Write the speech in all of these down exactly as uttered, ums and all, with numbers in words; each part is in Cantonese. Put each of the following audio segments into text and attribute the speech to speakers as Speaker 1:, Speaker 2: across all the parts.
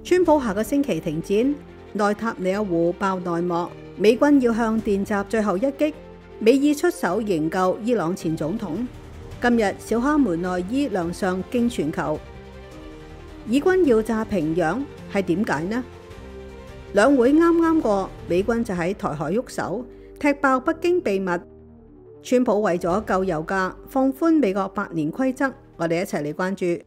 Speaker 1: 川普下個星期停戰，內塔尼亞胡爆內幕，美軍要向電閘最後一擊，美意出手營救伊朗前總統。今日小哈梅內伊亮相驚全球，以軍要炸平壤係點解呢？兩會啱啱過，美軍就喺台海喐手，踢爆北京秘密。川普為咗救油價，放寬美國百年規則，我哋一齊嚟關注。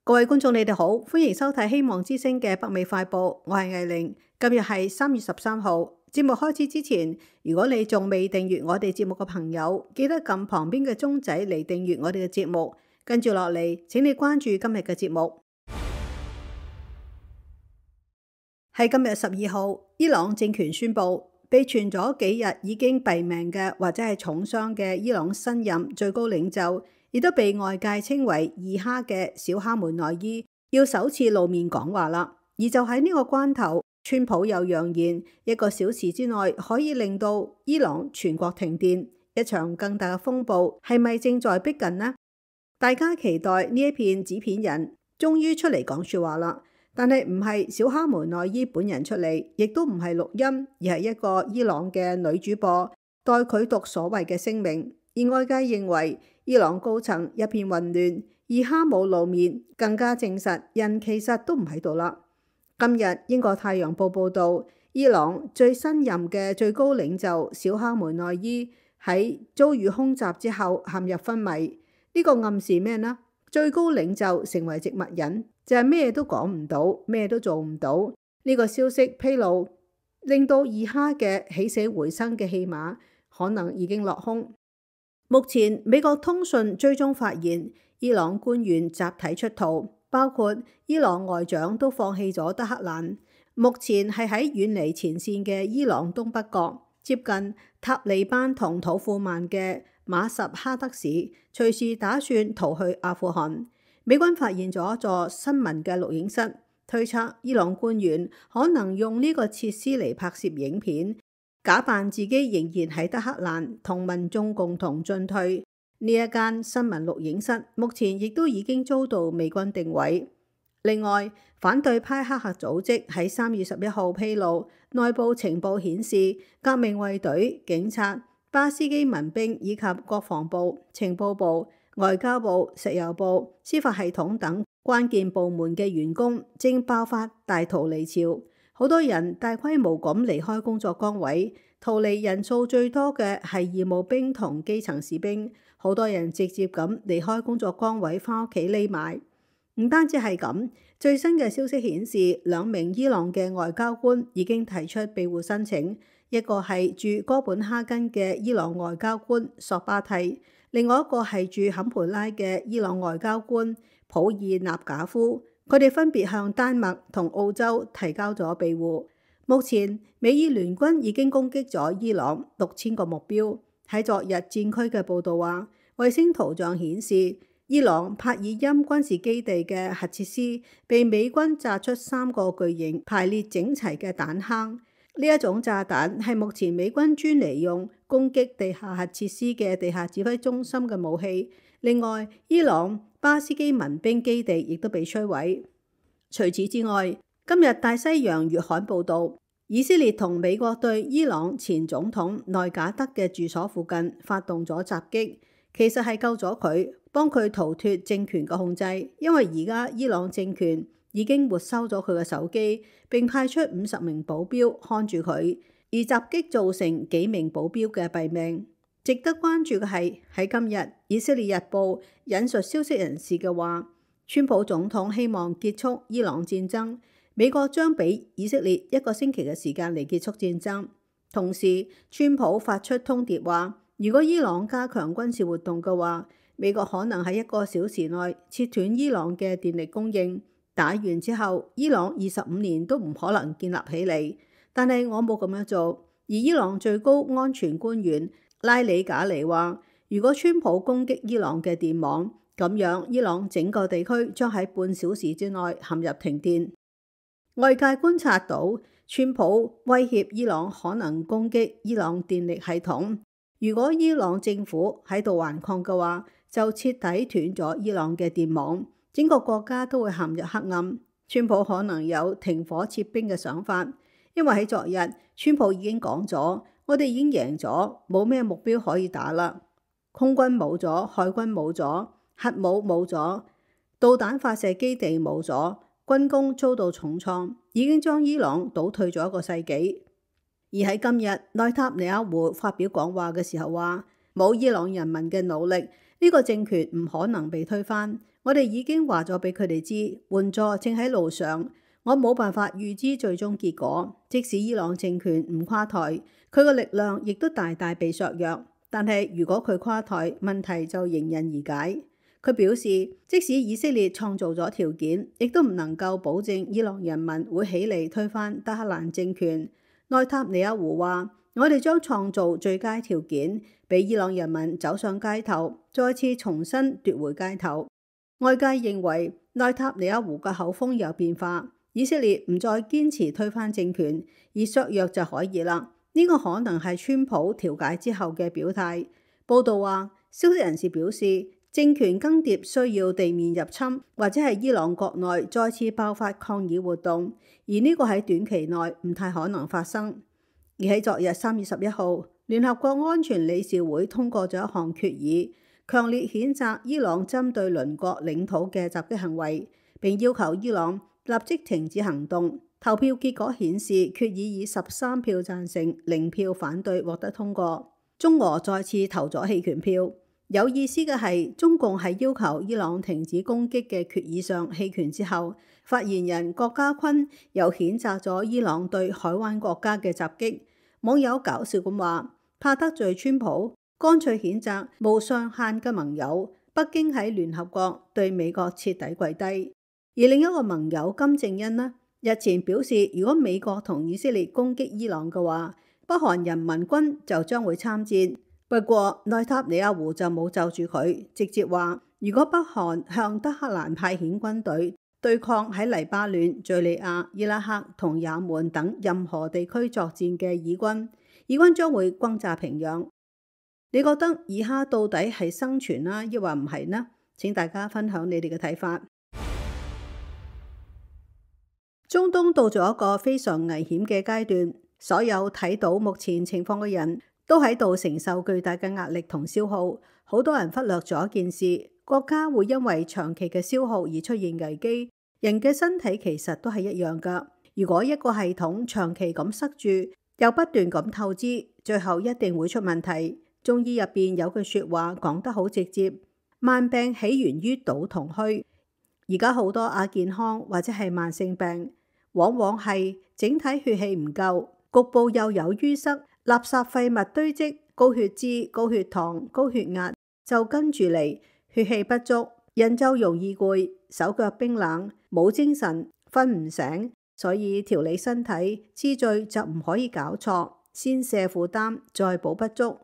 Speaker 1: 各位觀眾，你哋好，歡迎收睇希望之聲嘅北美快報，我係藝玲。今日係三月十三號。節目開始之前，如果你仲未訂閱我哋節目嘅朋友，記得撳旁邊嘅鐘仔嚟訂閱我哋嘅節目。跟住落嚟，請你關注今日嘅節目。喺今日十二號，伊朗政權宣布，被傳咗幾日已經斃命嘅或者係重傷嘅伊朗新任最高領袖，亦都被外界稱為二哈嘅小哈梅內伊，要首次露面講話啦。而就喺呢個關頭，川普又揚言一個小時之內可以令到伊朗全國停電，一場更大嘅風暴係咪正在逼近呢？大家期待呢一片紙片人終於出嚟講說話啦，但係唔係小哈梅內伊本人出嚟，亦都唔係錄音，而係一個伊朗嘅女主播代佢讀所謂嘅聲明。而外界認為伊朗高層一片混亂，二哈冇露面，更加證實人其實都唔喺度啦。今日英國太陽報報道，伊朗最新任嘅最高領袖小哈梅內伊喺遭遇空襲之後陷入昏迷。呢個暗示咩呢？最高領袖成為植物人，就係咩都講唔到，咩都做唔到。呢個消息披露，令到二哈嘅起死回生嘅戲碼可能已經落空。目前美國通訊追蹤發現，伊朗官員集體出逃，包括伊朗外長都放棄咗德黑蘭，目前係喺遠離前線嘅伊朗東北角，接近塔利班同土庫曼嘅馬什哈德市，隨時打算逃去阿富汗。美軍發現咗一座新聞嘅錄影室，推測伊朗官員可能用呢個設施嚟拍攝影片，假扮自己仍然喺德黑蘭，同民眾共同進退。呢一間新聞錄影室目前亦都已經遭到美軍定位。另外，反對派黑客組織喺三月十一號披露，內部情報顯示，革命衛隊、警察、巴斯基民兵以及國防部、情報部、外交部、石油部、司法系統等關鍵部門嘅員工正爆發大逃離潮，好多人大規模咁離開工作崗位，逃離人數最多嘅係義務兵同基層士兵，好多人直接咁離開工作崗位返屋企匿埋。唔單止係咁，最新嘅消息顯示，兩名伊朗嘅外交官已經提出庇護申請，一個係駐哥本哈根嘅伊朗外交官索巴蒂，另外一個係駐坎培拉嘅伊朗外交官普爾納賈夫。佢哋分別向丹麥同澳洲提交咗庇護。目前美伊聯軍已經攻擊咗伊朗六千個目標。喺昨日戰區嘅報導話，衛星圖像顯示，伊朗帕爾欽軍事基地嘅核設施被美軍炸出三個巨型排列整齊嘅彈坑。呢一種炸彈係目前美軍專嚟用攻擊地下核設施嘅地下指揮中心嘅武器。另外，伊朗巴斯基民兵基地亦都被摧毀。除此之外，今日大西洋月刊報導，以色列同美國對伊朗前總統內賈德嘅住所附近發動咗襲擊，其實係救咗佢，幫佢逃脫政權嘅控制，因為而家伊朗政權已經沒收咗佢嘅手機，並派出五十名保鏢看住佢，而襲擊造成幾名保鏢嘅斃命。值得關注嘅係，喺今日以色列日報引述消息人士嘅話，川普總統希望結束伊朗戰爭，美國將俾以色列一個星期嘅時間嚟結束戰爭。同時，川普發出通牒話，如果伊朗加強軍事活動嘅話，美國可能喺一個小時內切斷伊朗嘅電力供應。打完之後，伊朗二十五年都唔可能建立起嚟。但係我冇咁樣做。而伊朗最高安全官員拉里賈尼話，如果川普攻擊伊朗嘅電網，咁樣伊朗整個地區將喺半小時之內陷入停電。外界觀察到，川普威脅伊朗可能攻擊伊朗電力系統。如果伊朗政府喺度頑抗嘅話，就徹底斷咗伊朗嘅電網，整個國家都會陷入黑暗。川普可能有停火撤兵嘅想法，因為喺昨日，川普已經講咗，我哋已經贏咗，冇咩目標可以打啦。空軍冇咗，海軍冇咗，核武冇咗，導彈發射基地冇咗，軍工遭到重創，已經將伊朗倒退咗一個世紀。而喺今日，內塔尼亞胡發表講話嘅時候話，冇伊朗人民嘅努力，呢個政權唔可能被推翻。我哋已經話咗俾佢哋知，援助正喺路上。我冇辦法預知最終結果，即使伊朗政權唔垮台，佢個力量亦都大大被削弱。但係如果佢垮台，問題就迎刃而解。佢表示，即使以色列創造咗條件，亦都唔能夠保證伊朗人民會起嚟推翻德黑蘭政權。內塔尼亞胡話：我哋將創造最佳條件，俾伊朗人民走上街頭，再次重新奪回街頭。外界認為內塔尼亞胡嘅口風有變化，以色列唔再堅持推翻政權，而削弱就可以啦。呢個可能係川普調解之後嘅表態。報道話，消息人士表示，政權更迭需要地面入侵，或者係伊朗國內再次爆發抗議活動，而呢個喺短期內唔太可能發生。而喺昨日三月十一號，聯合國安全理事會通過咗一項決議，強烈譴責伊朗針對鄰國領土嘅襲擊行為，並要求伊朗立即停止行動。投票結果顯示，決議以十三票贊成、零票反對獲得通過。中俄再次投咗棄權票。有意思嘅係，中共喺要求伊朗停止攻擊嘅決議上棄權之後，發言人郭家坤又譴責咗伊朗對海灣國家嘅襲擊。網友搞笑咁話：怕得罪川普，乾脆譴責無上限嘅盟友。北京喺聯合國對美國徹底跪低。而另一個盟友金正恩呢，日前表示，如果美國同以色列攻擊伊朗嘅話，北韓人民軍就將會參戰。不過內塔尼亞胡就冇就住佢，直接話如果北韓向德黑蘭派遣軍隊對抗喺黎巴嫩、敘利亞、伊拉克同也門等任何地區作戰嘅以軍，以軍將會轟炸平壤。你覺得以哈到底係生存啦，抑或唔係呢？請大家分享你哋嘅睇法。中東到咗一個非常危險嘅階段，所有睇到目前情況嘅人都喺度承受巨大嘅壓力同消耗。好多人忽略咗一件事，國家會因為長期嘅消耗而出現危機。人嘅身體其實都係一樣㗎。如果一個系統長期咁塞住，又不斷咁透支，最後一定會出問題。中醫入邊有句說話講得好直接：慢病起源於賭同虛。而家好多亞健康或者係慢性病，往往係整體血氣唔夠，局部又有淤塞，垃圾廢物堆積，高血脂、高血糖、高血壓就跟住嚟，血氣不足，人就容易攰，手腳冰冷，冇精神，瞓唔醒。所以調理身體次序就唔可以搞錯，先卸負擔，再補不足。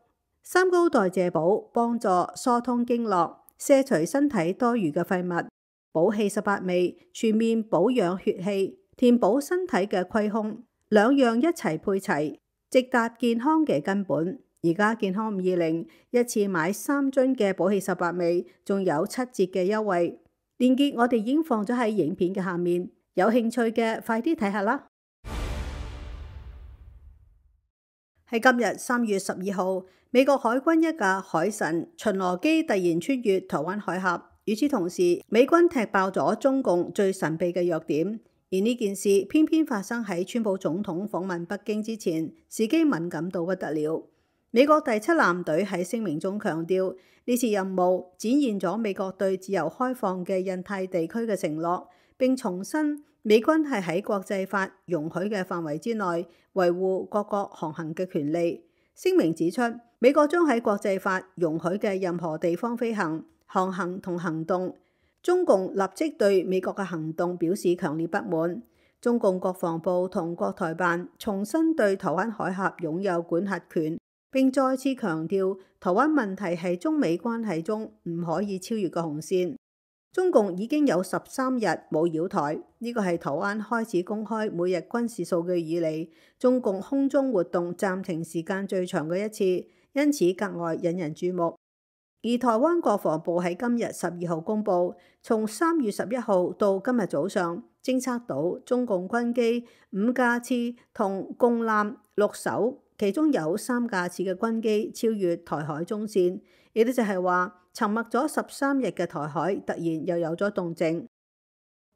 Speaker 1: 三高代謝補幫助疏通經絡，卸除身體多餘嘅廢物。補氣十八味全面保養血氣，填補身體嘅虧空，兩樣一齊配齊，直達健康嘅根本。而家健康五二零一次買三樽嘅補氣十八味，仲有七折嘅優惠。鏈接我哋已經放咗喺影片嘅下面，有興趣嘅快啲睇下啦。喺今日三月十二號，美國海軍一架海神巡邏機突然穿越台灣海峽。與此同時，美軍踢爆咗中共最神秘嘅弱點，而呢件事偏偏發生喺川普總統訪問北京之前，時機敏感到不得了。美國第七艦隊喺聲明中強調，呢次任務展現咗美國對自由開放嘅印太地區嘅承諾，並重申美軍係喺國際法容許嘅範圍之內維護各國航行嘅權利。聲明指出，美國將喺國際法容許嘅任何地方飛行、航行同行動。中共立即對美國嘅行動表示強烈不滿。中共國防部同國台辦重新對台灣海峽擁有管轄權，並再次強調台灣問題係中美關係中唔可以超越嘅紅線。中共已經有十三日冇擾台，呢個係台灣開始公開每日軍事數據以嚟，中共空中活動暫停時間最長嘅一次，因此格外引人注目。而台灣國防部喺今日十二號公佈，從三月十一號到今日早上，偵測到中共軍機五架次同共艦六艘，其中有三架次嘅軍機超越台海中線，亦都就係話沉默咗十三日嘅台海突然又有咗動靜。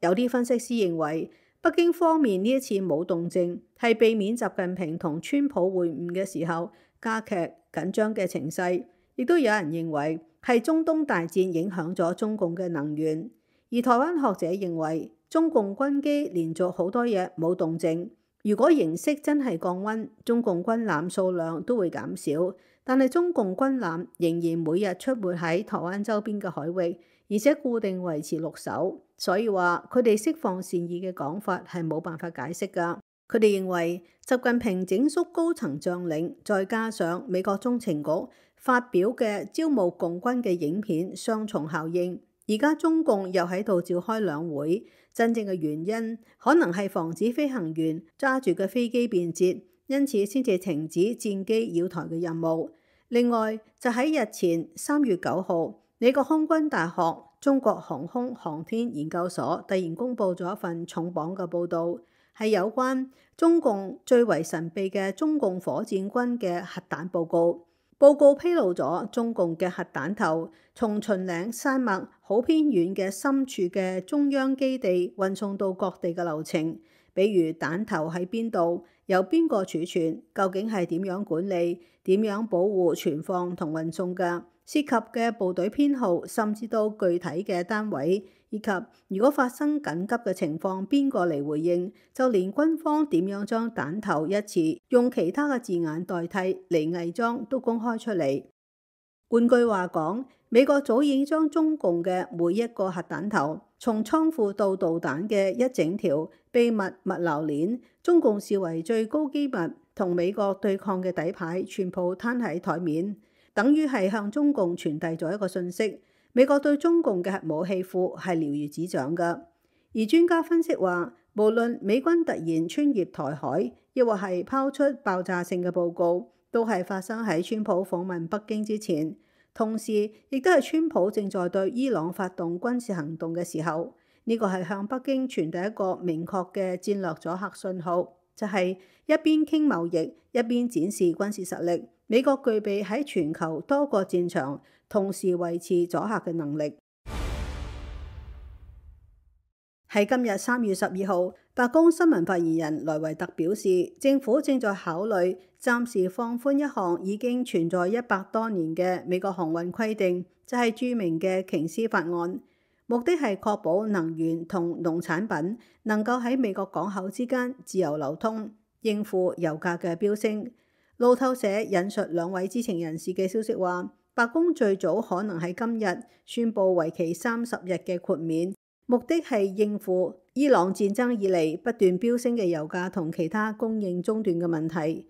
Speaker 1: 有啲分析師認為，北京方面呢一次冇動靜，係避免習近平同川普會晤嘅時候加劇緊張嘅情勢。亦都有人認為係中東大戰影響咗中共嘅能源，而台灣學者認為中共軍機連續好多日冇動靜，如果形勢真係降溫，中共軍艦數量都會減少，但係中共軍艦仍然每日出沒喺台灣周邊嘅海域，而且固定維持六艘，所以話佢哋釋放善意嘅講法係冇辦法解釋㗎。佢哋認為習近平整肅高層將領，再加上美國中情局發表嘅招募共軍嘅影片，雙重效應。而家中共又喺度召開兩會，真正嘅原因可能係防止飛行員揸住嘅飛機變節，因此先至停止戰機擾台嘅任務。另外就喺日前三月九號，美國空軍大學中國航空航天研究所突然公布咗一份重磅嘅報導，係有關中共最為神秘嘅中共火箭軍嘅核彈報告。報告披露咗中共嘅核彈頭從秦嶺山脈好偏遠嘅深處嘅中央基地運送到各地嘅流程，比如彈頭喺邊度，由邊個儲存，究竟係點樣管理、點樣保護、存放同運送嘅，涉及嘅部隊編號，甚至到具體嘅單位，以及如果發生緊急嘅情況，邊個嚟回應，就連軍方點樣將彈頭一詞用其他嘅字眼代替嚟偽裝都公開出嚟。換句話講，美國早已經將中共嘅每一個核彈頭，從倉庫到導彈嘅一整條秘密物流鏈，中共視為最高機密同美國對抗嘅底牌，全部攤喺台面，等於係向中共傳遞咗一個訊息。美國對中共嘅核武器庫係了如指掌㗎。而專家分析話，無論美軍突然穿越台海，亦或係拋出爆炸性嘅報告，都係發生喺川普訪問北京之前，同時亦都係川普正在對伊朗發動軍事行動嘅時候。呢個係向北京傳遞一個明確嘅戰略阻嚇信號，就係一邊傾貿易，一邊展示軍事實力。美國具備喺全球多個戰場同時維持阻嚇嘅能力。喺今日三月十二號，白宮新聞發言人萊維特表示，政府正在考慮暫時放寬一項已經存在一百多年嘅美國航運規定，就係著名嘅瓊斯法案。目的係確保能源同農產品能夠喺美國港口之間自由流通，應付油價嘅飆升。路透社引述兩位知情人士嘅消息話，白宮最早可能喺今日宣布為期三十日嘅豁免，目的係應付伊朗戰爭以嚟不斷飆升嘅油價同其他供應中斷嘅問題。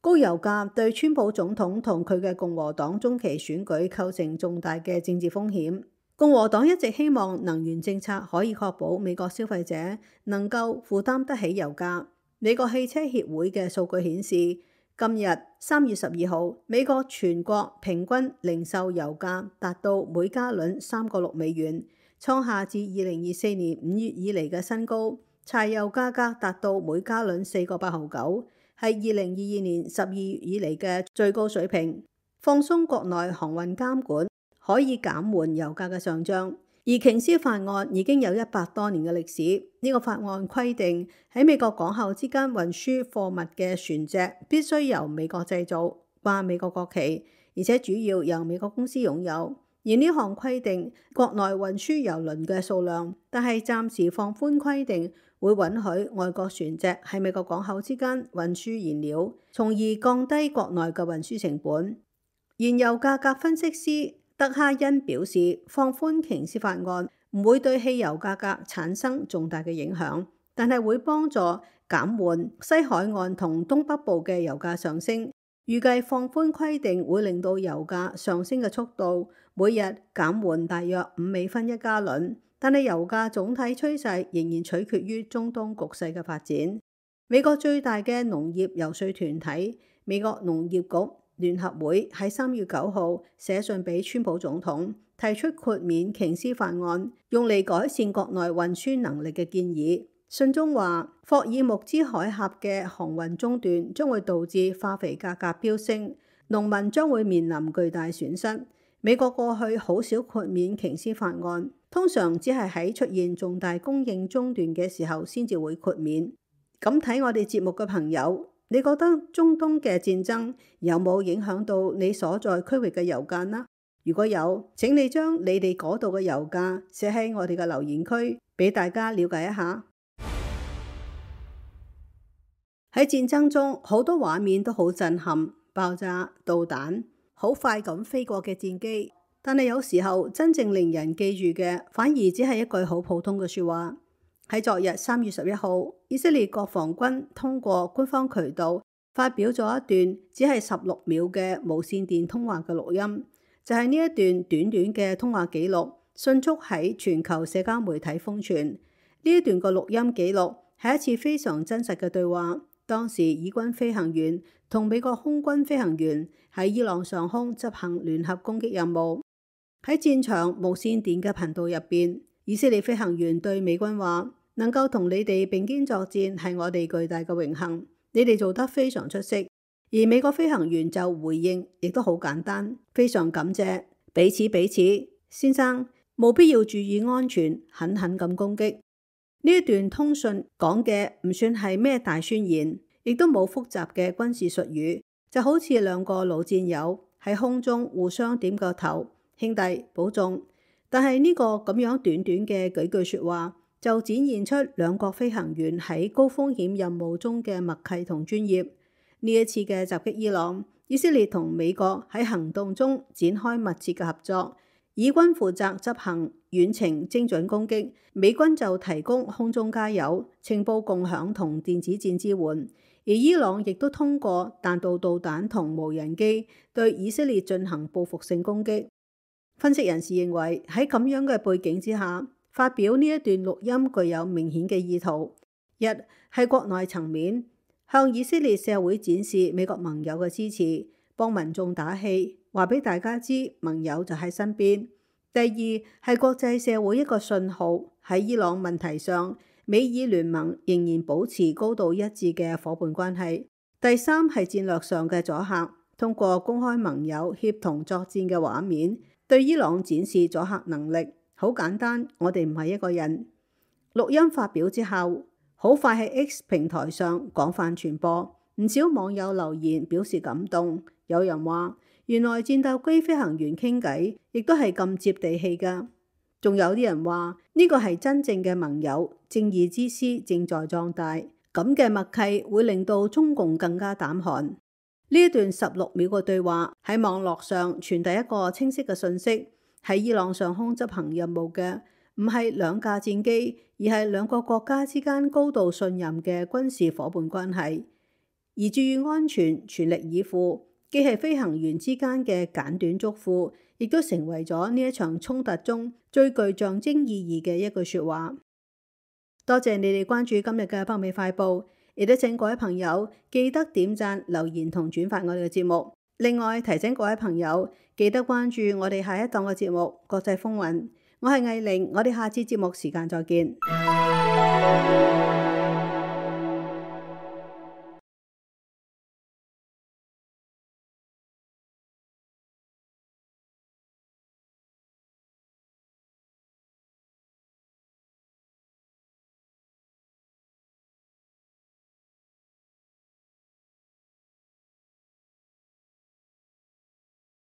Speaker 1: 高油價對川普總統同佢嘅共和黨中期選舉構成重大嘅政治風險。共和黨一直希望能源政策可以確保美國消費者能夠負擔得起油價。美國汽車協會嘅數據顯示，今日三月十二號，美國全國平均零售油價達到每加侖三個六美元，創下自二零二四年五月以嚟嘅新高。柴油價格達到每加侖四個八毫九，係二零二二年十二月以嚟嘅最高水平。放鬆國內航運監管可以減緩油價嘅上漲，而瓊斯法案已經有一百多年嘅歷史。呢個法案規定喺美國港口之間運輸貨物嘅船隻必須由美國製造、掛美國國旗，而且主要由美國公司擁有。而呢項規定國內運輸油輪嘅數量，但係暫時放寬規定，會允許外國船隻喺美國港口之間運輸燃料，從而降低國內嘅運輸成本。燃油價格分析師德哈恩表示，放寬瓊斯法案唔會對汽油價格產生重大嘅影響，但係會幫助減緩西海岸同東北部嘅油價上升。預計放寬規定會令到油價上升嘅速度每日減緩大約五美分一加侖，但係油價總體趨勢仍然取決於中東局勢嘅發展。美國最大嘅農業游說團體美國農業局聯合會喺三月九號寫信俾川普總統，提出豁免瓊斯法案，用嚟改善國內運輸能力嘅建議。信中話，霍爾木茲海峽嘅航運中斷將會導致化肥價格飆升，農民將會面臨巨大損失。美國過去好少豁免瓊斯法案，通常只係喺出現重大供應中斷嘅時候先至會豁免。咁睇我哋節目嘅朋友，你覺得中東嘅戰爭有冇影響到你所在區域嘅油價呢？如果有，請你將你哋嗰度嘅油價寫喺我哋嘅留言區，俾大家了解一下。喺戰爭中，好多畫面都好震撼，爆炸、導彈，好快咁飛過嘅戰機。但係有時候真正令人記住嘅，反而只係一句好普通嘅說話。喺昨日三月十一號，以色列國防軍通過官方渠道發表咗一段只係十六秒嘅無線電通話嘅錄音，就係呢一段短短嘅通話記錄，迅速喺全球社交媒體瘋傳。呢一段個錄音記錄係一次非常真實嘅對話。當時以軍飛行員同美國空軍飛行員喺伊朗上空執行聯合攻擊任務。喺戰場無線電嘅頻道入邊，以色列飛行員對美軍話：能夠同你哋並肩作戰係我哋巨大嘅榮幸，你哋做得非常出色。而美國飛行員就回應，亦都好簡單，非常感謝，彼此彼此，先生，務必要注意安全，狠狠咁攻擊。呢一段通訊講嘅唔算係咩大宣言，亦都冇複雜嘅軍事術語，就好似兩個老戰友喺空中互相點個頭，兄弟保重。但係呢個咁樣短短嘅幾句說話，就展現出兩國飛行員喺高風險任務中嘅默契同專業。呢一次嘅襲擊伊朗，以色列同美國喺行動中展開密切嘅合作。以軍負責執行遠程精準攻擊，美軍就提供空中加油、情報共享同電子戰支援。而伊朗亦都通過彈道導彈同無人機對以色列進行報復性攻擊。分析人士認為，喺咁樣嘅背景之下，發表呢一段錄音具有明顯嘅意圖。一係國內層面，向以色列社會展示美國盟友嘅支持，幫民眾打氣，話俾大家知盟友就喺身邊。第二係國際社會一個信號，喺伊朗問題上，美以聯盟仍然保持高度一致嘅夥伴關係。第三係戰略上嘅阻嚇，通過公開盟友協同作戰嘅畫面，對伊朗展示阻嚇能力。好簡單，我哋唔係一個人。錄音發表之後，好快喺 X 平台上廣泛傳播，唔少網友留言表示感動。有人話，原來戰鬥機飛行員傾偈亦都係咁接地氣㗎。仲有啲人話，呢個係真正嘅盟友，正義之師正在壯大。咁嘅默契會令到中共更加膽寒。呢一段十六秒嘅對話喺網絡上傳遞一個清晰嘅信息。喺伊朗上空執行任務嘅唔係兩架戰機，而係兩個國家之間高度信任嘅軍事夥伴關係。而注意安全、全力以赴，既係飛行員之間嘅簡短囑咐，亦都成為咗呢一場衝突中最具象徵意義嘅一句說話。多謝你哋關注今日嘅北美快報，亦都請各位朋友記得點讚、留言同轉發我哋嘅節目。另外提醒各位朋友記得關注我哋下一檔嘅節目《國際風雲》。我係藝玲，我哋下次節目時間再見。